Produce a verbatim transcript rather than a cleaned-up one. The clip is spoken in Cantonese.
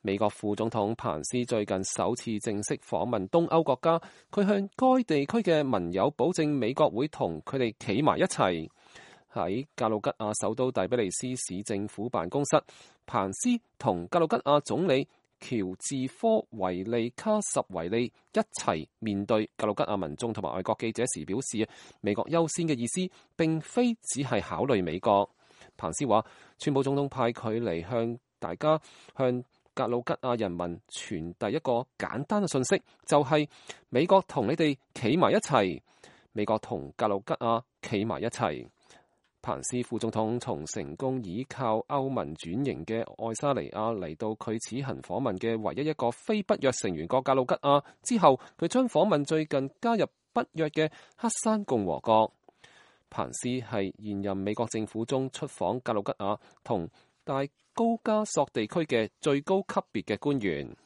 美國副總統彭斯最近首次正式訪問東歐國家，佢向該地區嘅盟友保證美國會同佢哋企埋一齊。喺格魯吉亞首都第比利斯市政府辦公室，彭斯同格魯吉亞總理喬治科維利卡什維利一齊面對格魯吉亞民眾同埋外國記者時表示，美國優先嘅意思並非只係考慮美國。彭斯話，川普總統派佢嚟向大家向格魯吉亞人民傳遞一個簡單嘅信息，就係、是、美國同你哋企埋一齊，美國同格魯吉亞企埋一齊。彭斯副總統從成功依靠歐盟轉型嘅愛沙尼亞嚟到佢此行訪問嘅唯一一個非北約成員國格魯吉亞之後，佢將訪問最近加入北約嘅黑山共和國。彭斯係現任美國政府中出訪格魯吉亞同大高加索地區嘅最高級別嘅官員。